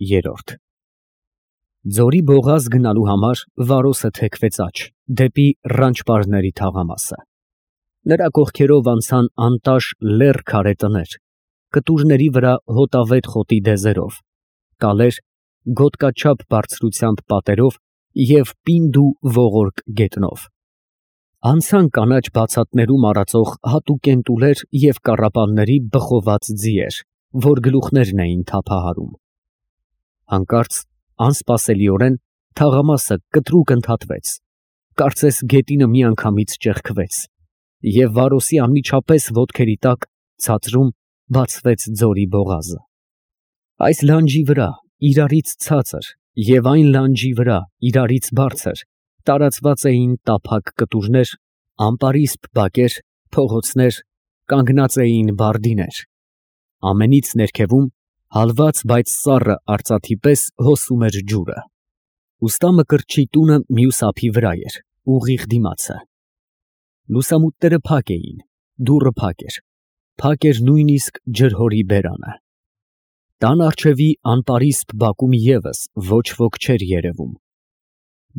3 Ձորի բողազ գնալու համար Վարոսը թեքվեց աջ, դեպի Ռանչպարների թաղամասը։ Նրա կողքերով անցան անտաշ լեռ քարե տներ, կտուրների վրա հոտավետ խոտի դեզերով, կալեր, գոտկաչափ բարձրությամբ պատերով և պինդ ու ողորկ գետնով։ Անցան կանաչ բացատներում արածող հատուկ էնտուլեր և կառապանների բխոված ձիեր, որ գլուխներն էին թափահարում։ Հանկարծ, անսպասելիորեն, թաղամասը կտրուկ ընդհատվեց, կարծես գետինը միանգամից ճեղքվեց, և Վարոսի անմիջապես ոտքերի տակ ցածրում բացվեց ձորի բողազը։ Այս լանջի վրա, իրարից ցածր, և այն լանջի վրա, իրարից բարձր, տարածված էին տափակ կտուրներ, ամպարիսպ բակեր, փողոցներ, կանգնած էին բարդիներ։ Ամենից ներքևում, հալված, բայց սառը արծաթի պես հոսում էր ջուրը։ Ուստա Մկրտչի տունը մյուս ափի վրա էր, ուղիղ դիմացը։ Լուսամուտները փակ էին, դուռը փակ էր նույնիսկ ջրհորի բերանը։ Տան առջևի անպարիսպ բակում ևս ոչ ոք չէր երևում։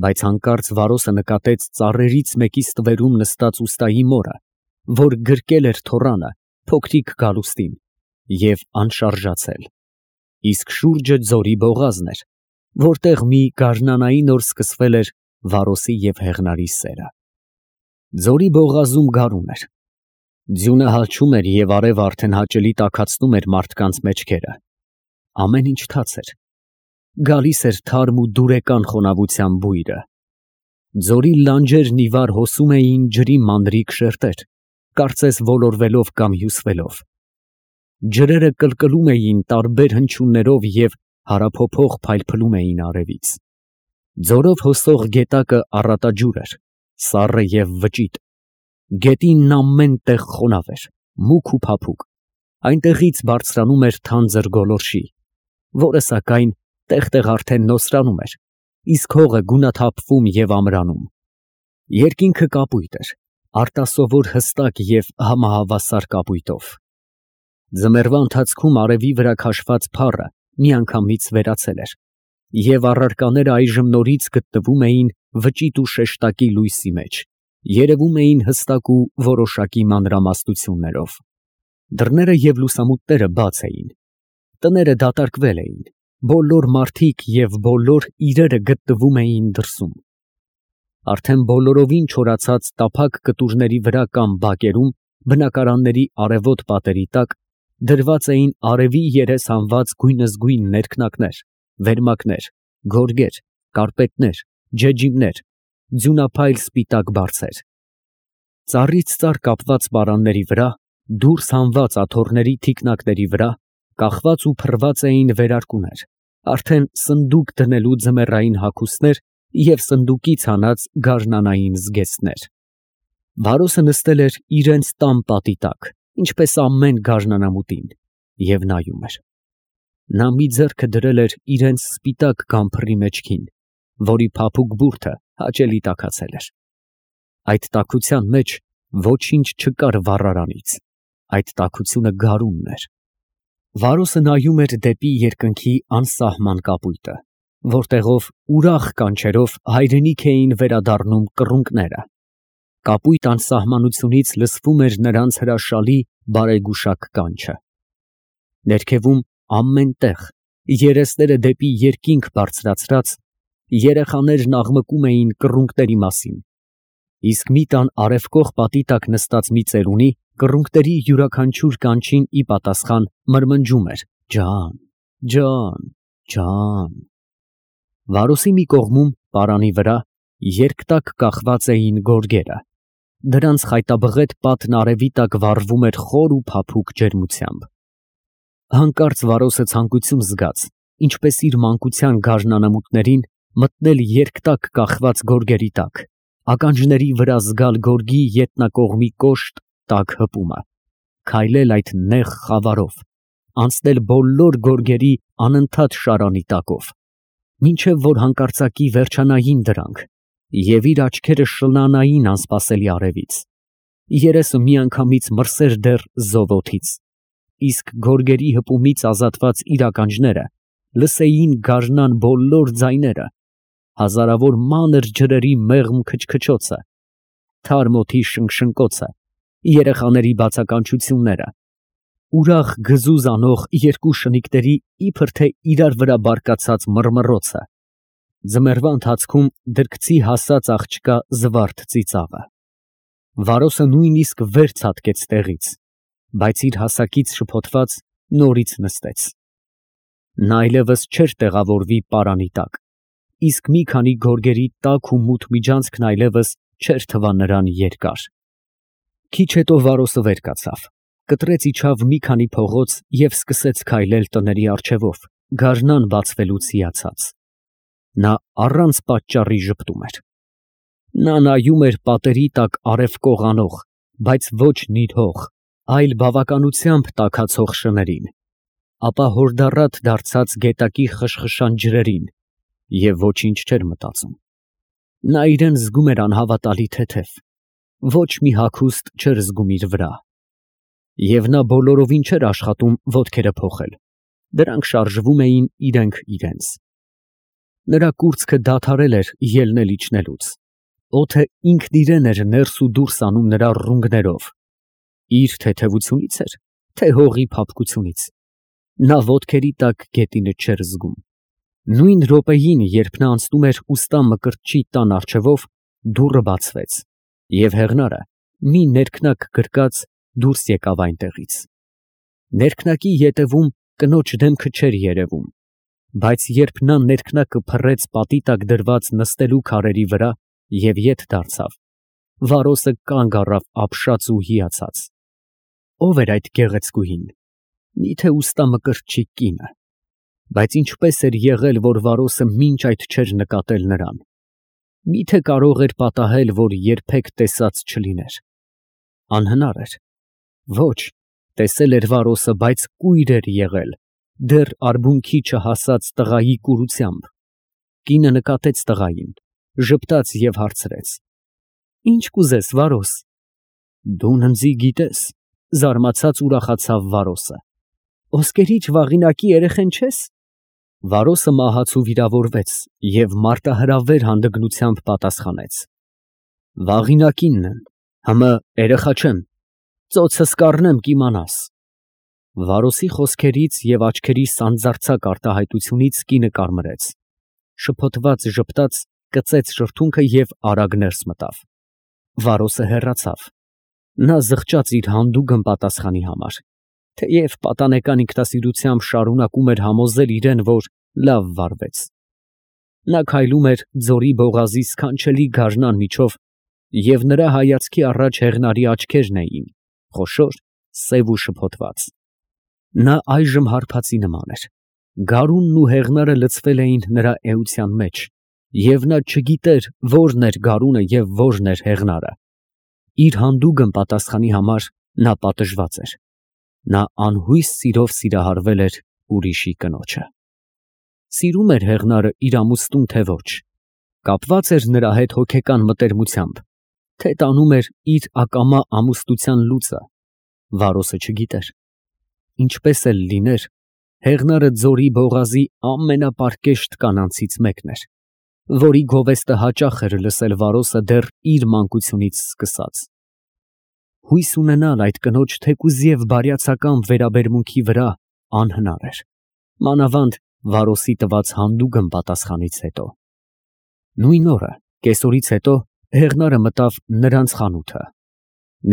Բայց հանկարծ Վարոսը նկատեց ծառերից մեկի ստվերում նստած ուստայի մորը, որ գրկել էր թոռանը, փոքրիկ գալուստին, և անշարժացել, իսկ շուրջը ձորի բողազն էր, որտեղ մի գարնանային օր սկսվել էր Վարոսի և Հեղնարի սերը։ Ձորի բողազում գարուն էր։ Ձյունը հալչում էր և արևը արդեն հաճելի տաքացնում էր մարդկանց մեջքերը։ Ամեն ինչ թաց էր։ Գալիս էր թարմ ու դուրեկան խոնավության բույրը։ Ձորի լանջերն ի վար հոսում էին ջրի մանրիկ շերտեր, կարծես ոլորվելով կամ հյուսվելով։ Ջրերը կլկլում էին տարբեր հնչյուններով և հարափոփող փայլփլում էին արևից։ Ձորով հոսող գետակը առատաջուր էր, սառը և վճիտ։ Գետինն ամեն տեղ խոնավ էր, մուգ ու փափուկ, այնտեղից բարձրանում էր թանձր գոլորշի, որը, սակայն, տեղ֊տեղ արդեն նոսրանում էր, իսկ հողը գունաթափվում և ամրանում։ Երկինքը կապույտ էր, արտասովոր հստակ և համահավասար կապույտով։ Ձմեռվա ընթացքում արևի վրա քաշված փառը միանգամից վերացել էր, և առարկաները այժմ նորից գտնվում էին վճիտ ու շեշտակի լույսի մեջ, երևում էին հստակ ու որոշակի մանրամասնություններով։ Դռները և լուսամուտները բաց էին, տները դատարկվել էին, բոլոր մարդիկ և բոլոր իրերը գտնվում էին դրսում։ Արդեն բոլորովին չորացած տափակ կտուրների վրա կամ բակերում, բնակարանների արևոտ պատերի տակ, դրված էին արևի երես հանված գույնզգույն ներքնակներ, վերմակներ, գորգեր, կարպետներ, ջեջիմներ, ձյունափայլ սպիտակ բարձեր։ Ծառից ծառ կապված պարանների վրա, դուրս հանված աթոռների թիկնակների վրա կախված ու փռված էին վերարկուներ, արդեն սնդուկ դնելու ձմեռային հագուստներ և սնդուկից հանած գարնանային զգեստներ։ Վարոսը նստել էր իրենց տան պատի տակ, ինչպես ամեն գարնանամուտին, և նայում էր։ Նա մի ձեռքը դրել էր իրենց սպիտակ գամփռի մեջքին, որի փափուկ բուրդը հաճելի տաքացել էր։ Այդ տաքության մեջ ոչինչ չկար վառարանից, այդ տաքությունը գարունն էր։ Վարոսը նայում էր դեպի երկնքի անսահման կապույտը, որտեղով ուրախ կանչերով հայրենիք էին վերադառնում կռունկները։ Կապույտ անսահմանությունից լսվում էր նրանց հրաշալի բարեգուշակ կանչը։ Ներքևում ամեն տեղ, երեսները դեպի երկինք բարձրացրած, երեխաներն աղմկում էին կռունկների մասին, իսկ մի տան արևկող պատի տակ նստած մի ծերունի կռունկների յուրաքանչյուր կանչին ի պատասխան մրմնջում էր. «Ջան, ջան, ջան»։ Վարոսի մի կողմում, պարանի վրա, երկտակ կախված էին գորգերը, դրանց խայտաբղետ պատն արևի տակ վառվում էր խոր ու փափուկ ջերմությամբ։ Հանկարծ Վարոսը ցանկություն զգաց, ինչպես իր մանկության գարնանամուտներին, մտնել երկտակ կախված գորգերի տակ, ականջների վրա զգալ գորգի ետնակողմի կոշտ, տաք հպումը, քայլել այդ նեղ խավարով, անցնել բոլոր գորգերի անընդհատ շարանի տակով, մինչև որ հանկարծակի վերջանային դրանք, և իր աչքերը շլանային անսպասելի արևից, երեսը միանգամից մրսեր դեռ զով օդից, իսկ գորգերի հպումից ազատված իր ականջները լսեին գարնան բոլոր ձայները, հազարավոր մանր ջրերի մեղմ քչքչոցը, թարմ օդի շնշնկոցը, երեխաների բացականչությունները, ուրախ գզուզ անող երկու շնիկների իբր թե իրար վրա բարկացած մռմռոցը, ձմեռվա ընթացքում դրկցի հասած աղջկա զվարթ ծիծաղը։ Վարոսը նույնիսկ վեր ցատկեց տեղից, բայց իր հասակից շփոթված նորից նստեց։ Նա այլևս չէր տեղավորվի պարանի տակ, իսկ մի քանի գորգերի տաք ու մութ միջանցքն այլևս չէր թվա նրան երկար։ Քիչ հետո Վարոսը վեր կացավ, կտրեց իջավ մի քանի փողոց և սկսեց քայլել տների առջևով, գարնան բացվելուց հիացած։ Նա առանց պատճառի ժպտում էր։ Նա նայում էր պատերի տակ արև կողանող, բայց ոչ նիրհող, այլ բավականությամբ տաքացող շներին, ապա հորդառատ դարձած գետակի խշխշան ջրերին և ոչինչ չէր մտածում։ Նա իրան զգում էր անհավատալի թեթև, ոչ մի հագուստ չէր զգում իր վրա։ Եվ նա բոլորովին չէր աշխատում ոտքերը փոխել, դրանք շարժվում էին իրենք իրենց։ Նրա կուրծքը դադարել էր ելնել իջնելուց, օդը ինքն իրեն էր ներս ու դուրս անում նրա ռունգներով, իր թեթևությունից էր, թե հողի փափկությունից։ Նա ոտքերի տակ գետինը չէր զգում։ Նույն րոպեին, երբ նա անցնում էր ուստա մկրտչի տան առջևով, դուռը բացվեց, և հեղնարը, մի ներքնակ գրկած, դուրս եկավ այնտեղից։ Ներքնակի ետևում կնոջ դեմքը չէր երևում, բայց երբ նա ներքնակը փռեց պատի տակ դրված նստելու քարերի վրա և ետ դարձավ, Վարոսը կանգ առավ ապշած ու հիացած։ Ո՞վ էր այդ գեղեցկուհին։ Միթե ուստա մկրտչի կինը։ Բայց ինչպես էր եղել, որ Վարոսը մինչ այդ չէր նկատել նրան։ Միթե կարող էր պատահել, որ երբեք տեսած չլիներ։ Անհնար էր։ Ոչ, տեսել էր Վարոսը, բայց կույր էր եղել, դեռ արբունքի չհասած տղայի կուրությամբ։ Կինը նկատեց տղային, ժպտաց և հարցրեց. «Ինչ կուզես, Վարոս»։ «Դու ննձի գիտես», զարմացած ուրախացավ Վարոսը։ «Ոսկերիչ վաղինակի երեխեն չես»։ Վարոսը մահացու վիրավորվեց և մարտահրավեր հանդգնությամբ պատասխանեց. «Վաղինակինն եմ, հըմը երեխա չեմ, ծոցս կառնեմ կիմանաս»։ Վարոսի խոսքերից և աչքերի սանձարձակ արտահայտությունից կինը կարմրեց, շփոթված ժպտաց, կծեց շրթունքը և արագ ներս մտավ։ Վարոսը հեռացավ։ Նա զղջաց իր հանդուգն պատասխանի համար, թեև պատանեկան ինքնասիրությամբ շարունակում էր համոզել իրեն, որ լավ վարվեց։ Նա քայլում էր ձորի բողազի սքանչելի գարնան միջով, և նրա հայացքի առաջ հեղնարի աչքերն էին, խոշոր, սև ու շփոթված։ Նա այժմ հարբածի նման էր։ Գարունն ու հեղնարը լցվել էին նրա էության մեջ, և նա չգիտեր որն էր գարունը և որն էր հեղնարը։ Իր հանդուգն պատասխանի համար նա պատժված էր։ Նա անհույս սիրով սիրահարվել էր ուրիշի կնոջը։ Սիրում էր հեղնարը իր ամուսնուն, թե ոչ, կապված էր նրա հետ հոգեկան մտերմությամբ, թե տանում էր իր ակամա ամուսնության լուծը, Վարոսը չգիտեր։ Ինչպես էլ լիներ, հեղնարը ձորի բողազի ամենապարկեշտ կանանցից մեկն էր, որի գովեստը հաճախ էր լսել Վարոսը դեռ իր մանկությունից սկսած։ Հույս ունենալ այդ կնոջ թեկուզև բարյացակամ վերաբերմունքի վրա անհնար էր, մանավանդ Վարոսի տված հանդուգն պատասխանից հետո։ Նույն օրը, կեսօրից հետո, հեղնարը մտավ նրանց խանութը։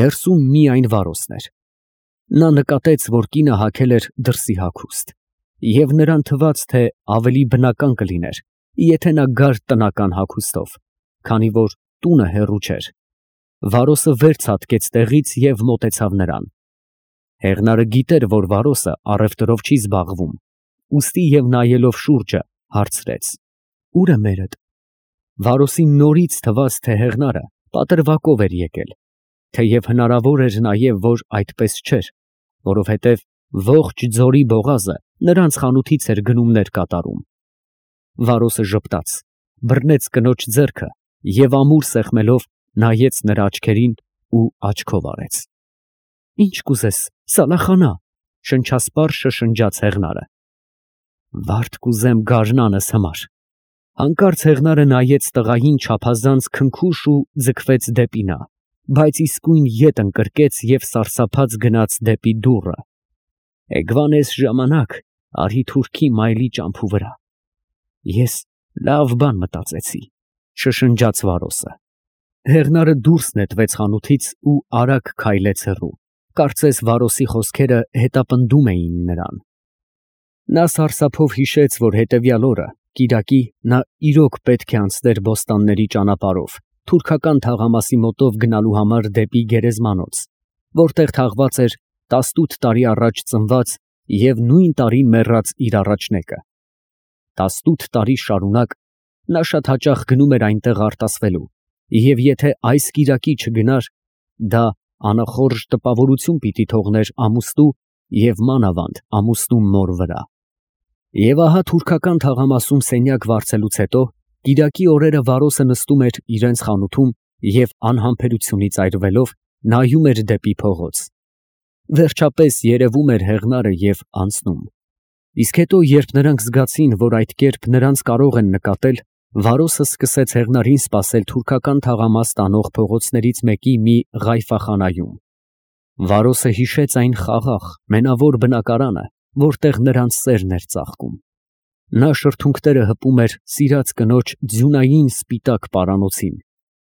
Ներսում միայն Վարոսն էր։ Նա նկատեց, որ կինը հագել էր դրսի հագուստ, և նրան թվաց, թե ավելի բնական կլիներ, եթե նա գար տնական հագուստով, քանի որ տունը հեռու չէր։ Վարոսը վեր ցատկեց տեղից և մոտեցավ նրան։ Հեղնարը գիտեր, որ Վարոսը առևտրով չի զբաղվում, ուստի և նայելով շուրջը, հարցրեց. «Ո՞ւր է մերդ»։ Վարոսին նորից թվաց, թե հեղնարը պատրվակով էր եկել, թեև հնարավոր էր նաև, որ այդպես չէր, որովհետև ողջ ձորի բողազը նրանց խանութից էր գնումներ կատարում։ Վարոսը ժպտաց, բռնեց կնոջ ձեռքը և ամուր սեղմելով նայեց նրա աչքերին ու աչքով արեց։ «Ինչ կուզես, Սալախանա», շնչասպառ շշնջաց հեղնարը։ Վարդ կուզեմ գարնանս համար։ Հանկարծ Հեղնարը նայեց տղային չափազանց քնքուշ ու ձգվեց դեպի նա, բայց իսկույն ետ ընկրկեց և սարսափած գնաց դեպի դուռը։ Էգվանես ժամանակ, արի թուրքի մայլի ճամփու վրա։ Ես լավ բան մտածեցի, շշնջաց Վարոսը։ Հեղնարը դուրս նետվեց խանութից ու արագ քայլեց հեռու, կարծես Վարոսի խոսքերը հետապնդում էին նրան։ Նա սարսափով հիշեց, որ հետևյալ օրը, կիրակի, նա իրոք պետք է անցներ բոստանների ճանապարհով, թուրքական թաղամասի մոտով գնալու համար դեպի Գերեզմանոց, որտեղ թաղված էր 18 տարի առաջ ծնված և նույն տարին մեռած իր առաջնեկը։ 18 տարի շարունակ նա շատ հաճախ գնում էր այնտեղ արտասվելու, և եթե այս կիրակի չգնար, դա անախորժ տպավորություն պիտի թողներ ամուսնու և մանավանդ ամուսնու մոր վրա։ Եվ ահա թուրքական թաղամասում սենյակ վարձելուց հետո կիրակի օրերը Վարոսը նստում էր իրենց խանութում և անհամբերությունից այրվելով նայում էր դեպի փողոց։ Վերջապես երևում էր Հեղնարը և անցնում։ Իսկ հետո, երբ նրանք զգացին, որ այդ կերպ նրանց կարող են նկատել, Վարոսը սկսեց Հեղնարին սպասել թուրքական թաղամաս տանող փողոցներից մեկի մի ղայֆախանայում։ Վարոսը հիշեց այն խաղաղ, մենավոր բնակարանը, որտեղ նրանց սերն էր ծաղկում։ Նա շրթունքները հպում էր սիրած կնոջ ձյունային սպիտակ պարանոցին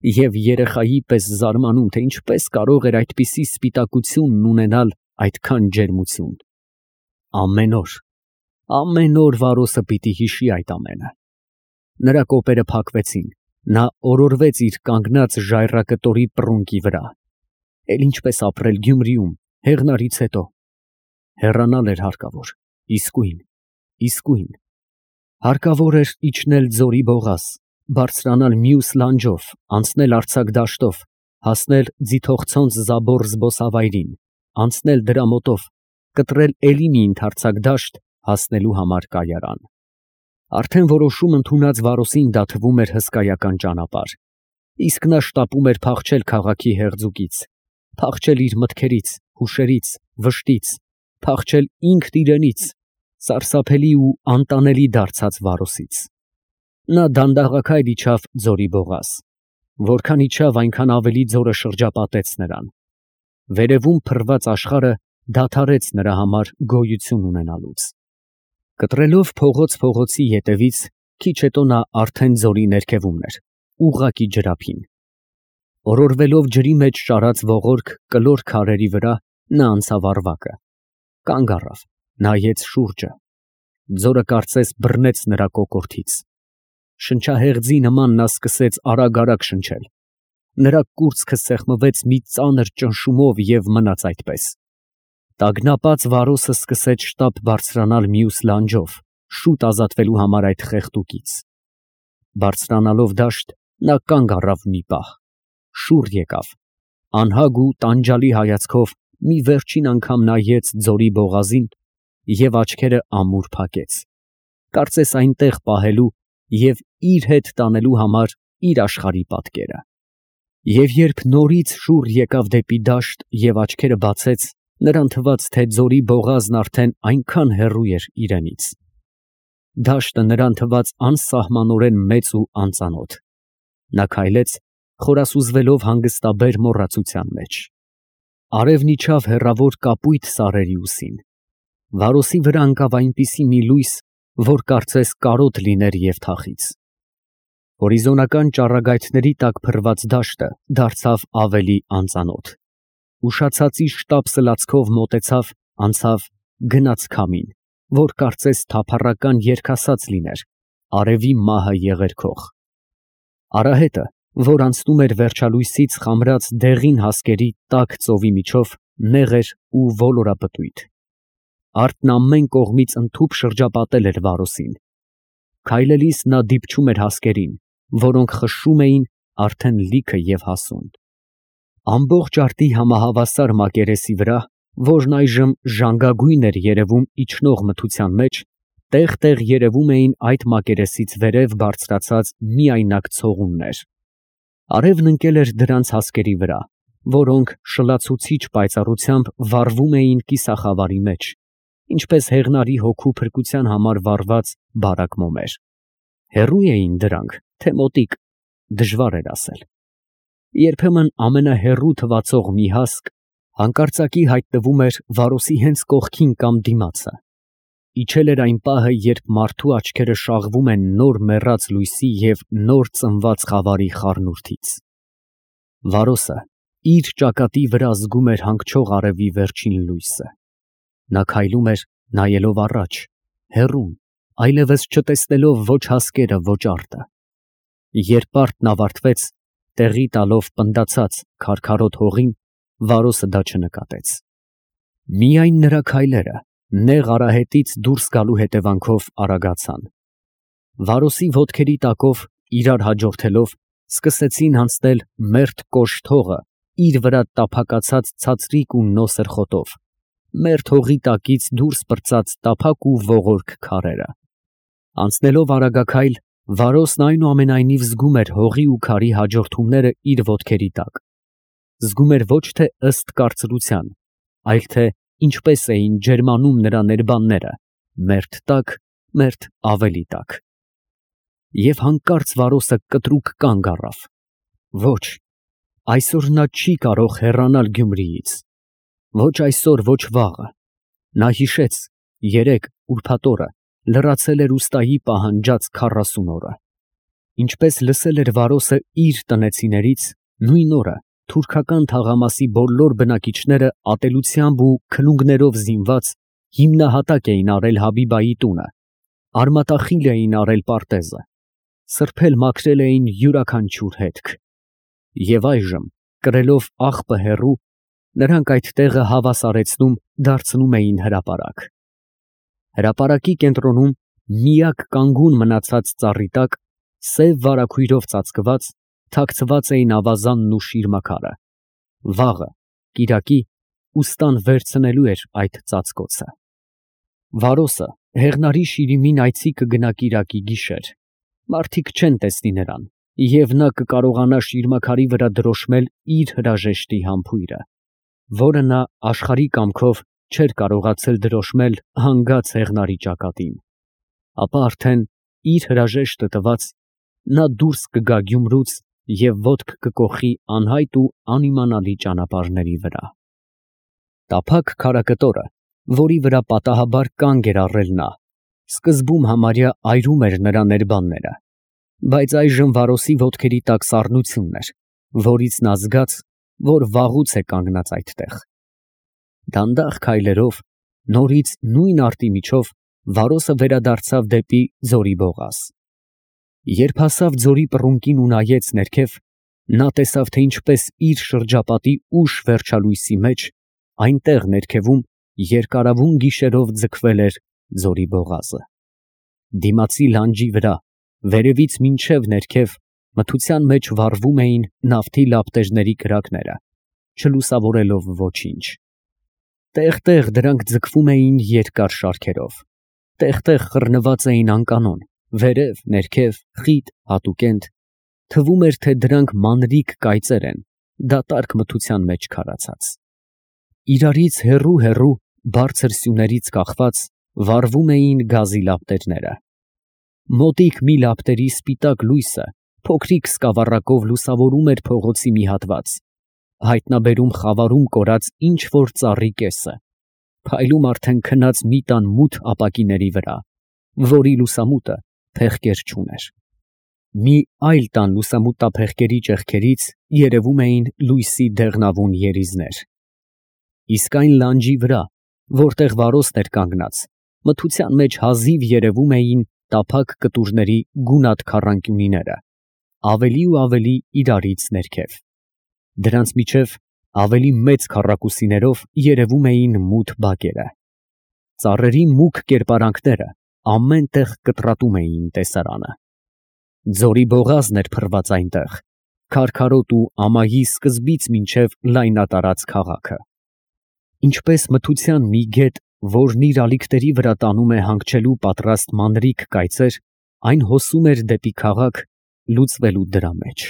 և երեխայի պես զարմանում, թե ինչպես կարող էր այդպիսի սպիտակությունն ունենալ այդքան ջերմություն։ Ամեն օր Վարոսը պիտի հիշի այդ ամենը։ Նրա կոպերը փակվեցին, նա օրորվեց իր կանգնած ժայռակտորի պռունկի վրա։ Էլ ինչպես ապրել Գյումրիում, Հեղնարից հետո։ Հեռանալ էր հարկավոր, իսկույն։ Հարկավոր էր իջնել ձորի բողազ, բարձրանալ մյուս լանջով, անցնել արձակ դաշտով, հասնել ձիթողցոնց Զաբոր զբոսավայրին, անցնել դրա մոտով, կտրել էլի մի ընդարձակ դաշտ, հասնելու համար կայարան։ Արդեն որոշում ընդունած Վարոսին դա թվում էր հսկայական ճանապարհ, իսկ նա շտապում էր փախչել քաղաքի հեղձուկից, փախչել իր մտքերից, հուշերից, վշտից, փախչել ինքն իրենից, սարսափելի ու անտանելի դարձած Վարոսից։ Նա դանդաղաքայլ իջավ ձորի բողազ։ Որքան իջավ, այնքան ավելի ձորը շրջապատեց նրան։ Վերևում փռված աշխարհը դադարեց նրա համար գոյություն ունենալուց։ Կտրելով փողոցի ետևից, քիչ հետո նա արդեն ձորի ներքևումն էր, ուղղակի ջրափին։ Օրորվելով ջրի մեջ շարած ողորկ կլոր քարերի վրա, նա անցավ առվակը, կանգ առավ, նայեց շուրջը։ Ձորը կարծես բռնեց նրա կոկորդից։ Շնչահեղձի նման նա սկսեց արագ շնչել։ Նրա կուրծքը սեղմվեց մի ծանր ճնշումով և մնաց այդպես։ Տագնապած Վարոսը սկսեց շտապ բարձրանալ մյուս լանջով, շուտ ազատվելու համար այդ խեղդուկից։ Բարձրանալով դաշտ, նա կանգ առավ մի պահ, շուռ եկավ, անհագ ու տանջալի հայացքով մի վերջին անգամ նայեց ձորի բողազին և աչքերը ամուր փակեց, կարծես այնտեղ պահելու և իր հետ տանելու համար իր աշխարհի պատկերը։ Եվ երբ նորից շուռ եկավ դեպի դաշտ և աչքերը բացեց, նրան թվաց, թե ձորի բողազն արդեն այնքան հեռու էր իրենից։ Դաշտը նրան թվաց անսահմանորեն մեծ ու անծանոթ։ Նա քայլեց, խորասուզվելով հանգստաբեր մոռացության մեջ։ Արևն իջավ հեռավոր կապույտ սարերի ուսին։ Վարոսի վրա ընկավ այնպիսի մի լույս, որ կարծես կարոտ լիներ և թախիծ։ Հորիզոնական ճառագայթների տակ փռված դաշտը դարձավ ավելի անծանոթ։ Ուշացածի շտապ սլացքով մոտեցավ, անցավ, գնաց քամին, որ կարծես թափառական երգասաց լիներ, արևի մահը եղերգող։ Արահետը, որ անցնում էր վերջալույսից խամրած դեղին հասկերի տաք ծովի միջով, նեղ էր ու ոլորապտույտ։ Արդն ամեն կողմից ընդհուպ շրջապատել էր Վարոսին։ Քայլելիս նա դիպչում էր հասկերին, որոնք խշշում էին արդեն լիքը և հասուն։ Ամբողջ արտի համահավասար մակերեսի վրա, որն այժմ ժանգագույն էր երևում իջնող մթության մեջ, տեղ երևում էին այդ մակերեսից վերև բարձրացած միայնակ ցողուններ։ Արևն ընկել էր դրանց հասկերի վրա, որոնք շլացուցիչ պայծառությամբ վառվում էին կիսախավարի մեջ, ինչպես հեղնարի հոգու փրկության համար վառված բարակ մոմեր։ Հեռու էին դրանք, թե մոտիկ, դժվար էր ասել։ Երբեմն ամենահեռու թվացող մի հասկ հանկարծակի հայտնվում էր Վարոսի հենց կողքին կամ դիմացը։ Իջել էր այն պահը, երբ մարդու աչքերը շաղվում են նոր մեռած լույսի և նոր ծնված խավարի խառնուրդից։ Վարոսը իր ճակատի վրա զգում էր հանգչող արևի վերջին լույսը։ Նա քայլում էր, նայելով առաջ, հեռուն, այլևս չտեսնելով ոչ հասկերը, ոչ արտը։ Երբ պարտն ավարտվեց, տեղի տալով պնդացած քարքարոտ հողին, Վարոսը դա չնկատեց։ Միայն նրա քայլերը նեղ արահետից դուրս գալու հետևանքով արագացան։ Վարոսի ոտքերի տակով, իրար հաջորդելով, սկսեցին անցնել մերթ կոշտ հողը իր վրա տափակացած ցածրիկ ու նոսր խոտով, մերթ հողի տակից դուրս պրծած տափակ ու ողորկ քարերը։ Անցնելով արագաքայլ, Վարոսն այնուամենայնիվ զգում էր հողի ու քարի հաջորդումները իր ոտքերի տակ։ Զգում էր ոչ թե ըստ կարծրության, այլ թե ինչպես էին ջերմանում նրա ներբանները, մերթ տակ, մերթ ավելի տակ։ Եվ հանկարծ Վարոսը կտրուկ կանգ առավ։ Ոչ, այսօր նա չի կարող հեռանալ Գյումրիից։ Ոչ այսօր, ոչ վաղը։ Նա հիշեց, երեկ ուրբաթ օրը լրացել էր ուստայի պահանջած 40 օրը։ Ինչպես լսել էր Վարոսը իր տնեցիներից, նույն օրը թուրքական թաղամասի բոլոր բնակիչները ատելությամբ ու քլունգներով զինված հիմնահատակ էին արել Հաբիբայի տունը, արմատախիլ էին արել պարտեզը, սրբել մաքրել էին յուրաքանչյուր հետք։ Եվ այժմ, կրելով աղբը հեռու, նրանք այդ տեղը հավասարեցնում, դարձնում էին հրապարակ։ Հրապարակի կենտրոնում, միակ կանգուն մնացած ծառի տակ, սև վարագույրով ծածկված, թաքցված էին ավազանն ու շիրմաքարը։ Վաղը, կիրակի, ուստան վերցնելու էր այդ ծածկոցը։ Վարոսը հեղնարի շիրիմին այցի կգնա կիրակի գիշեր։ Մարդիկ չեն տեսնի նրան, և նա կկարողանա շիրմաքարի վրա դրոշմել իր հրաժեշտի համբույրը, որը նա աշխարհի կամքով չէր կարողացել դրոշմել հանգած հեղնարի ճակատին։ Ապա արդեն իր հրաժեշտը տված, նա դուրս կգա Գյումրուց և ոտք կկոխի անհայտ ու անիմանալի ճանապարհների վրա։ Տափակ քարակտորը, որի վրա պատահաբար կանգ էր առել նա, սկզբում համարյա այրում էր նրա ներբանները, բայց այժմ Վարոսի ոտքերի տակ սառնությունն էր, որից նա զգաց, որ վաղուց է կանգնած այդտեղ։ Դանդաղ քայլերով, նորից նույն արտի միջով, Վարոսը վերադարձավ դեպի ձորի բողազ։ Երբ հասավ ձորի պռունկին ու նայեց ներքև, նա տեսավ, թե ինչպես իր շրջապատի ուշ վերջալույսի մեջ, այնտեղ ներքևում երկարավուն գիշերով ձգվել էր ձորի բողազը։ Դիմացի լանջի վրա, վերևից մինչև ներքև, մթության մեջ վառվում էին նավթի լապտերների կրակները, չլուսավորելով ոչինչ։ Տեղ-տեղ դրանք ձգվում էին երկար շարքերով, տեղ-տեղ խռնված էին անկանոն, վերև, ներքև, խիտ, հատուկենտ, թվում էր, թե դրանք մանրիկ կայծեր են, դատարկ մթության մեջ քարացած։ Իրարից հեռու, բարձր սյուներից կախված, վառվում էին գազի լապտերները։ Մոտիկ մի լապտերի սպիտակ լույսը փոքրիկ սկավառակով լուսավորում էր փողոցի մի հատված, հայտնաբերում խավարում կորած ինչ-որ ծառի կեսը, փայլում արդեն քնած մի տան մութ ապակիների վրա, որի լուսամուտը փեղկեր չուներ։ Մի այլ տան լուսամուտափեղկերի ճեղքերից երևում էին լույսի դեղնավուն երիզներ։ Իսկ այն լանջի վրա, որտեղ Վարոսն էր կանգնած, մթության մեջ հազիվ երևում էին տափակ կտուրների գունատ քառանկյունիները, ավելի ու ավելի իրարից ներքև։ Դրանց միջև ավելի մեծ քառակուսիներով երևում էին մութ բակերը։ Ծառերի մուգ կերպարանքները ամեն տեղ կտրատում էին տեսարանը։ Ձորի բողազն էր փռված այնտեղ, քարքարոտ ու ամայի սկզբից մինչև լայնատարած քաղաքը։ Ինչպես մթության մի գետ, որն իր ալիքների վրա տանում է հանգչելու պատրաստ մանրիկ կայծեր, այն հոսում էր դեպի քաղաք, լուծվելու դրա մեջ։